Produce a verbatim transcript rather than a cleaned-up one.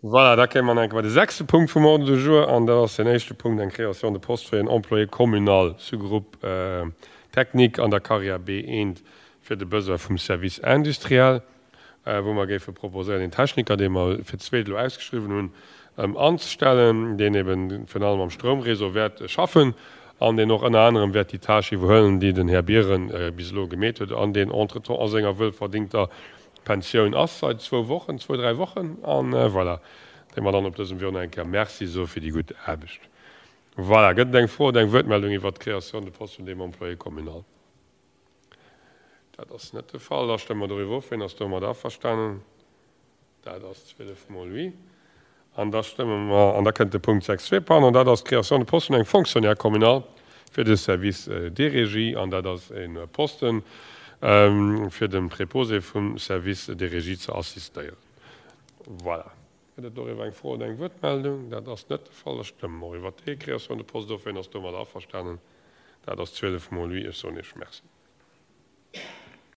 Voilà, da kéime mer nach eng Kéier bei de sechste Punkt vum Ordre du jour, an dat ass den éischte Punkt, eng Création de poste fir en Employé communal, Sous-groupe technique an der Carrière B eent fir de Besoin vum Service industriel, wou mer géife proposéieren, een Techniker, dee mer fir d'zweet elo ausgeschriwwen hunn, anzestellen, deen eben virun allem am Stroumréseau wäert schaffen an deen och ënner anerem wäert déi Tâche iwwerhuelen, déi den Här Biren bis elo gemeet huet an deen entretemps a senger wuelverdingter Pensioun ass seit zwou Wochen, zwou, dräi Wochen. An voilà, deem mer dann op dësem Wee och nach eng Kéier Merci soe fir déi gutt Aarbecht. Voilà, gëtt et eng Fro oder eng Wuertmeldung iwwert d'Création de poste vun deem Employé communal? Dat ass net de Fall. Da stëmme mer doriwwer of. Wien ass domat averstanen? Dat ass zwielef mol oui. An da stëmme mer, an da kënnt de Punkt sechs zwee, pardon, dat ass d'Création de poste vun engem Fonctionnaire communal fir de Service des régies. An dat ass e Posten, fir dem Préposé vum Service des régies ze assistéieren. Voilà. Gëtt et doriwwer eng Fro oder eng Wuertmeldung? Dat ass net de Fall. Da stëmme mer och iwwert déi Création de poste of. Wien ass domadder averstanen? Dat ass zwielef mol oui. Ech soen Iech Merci.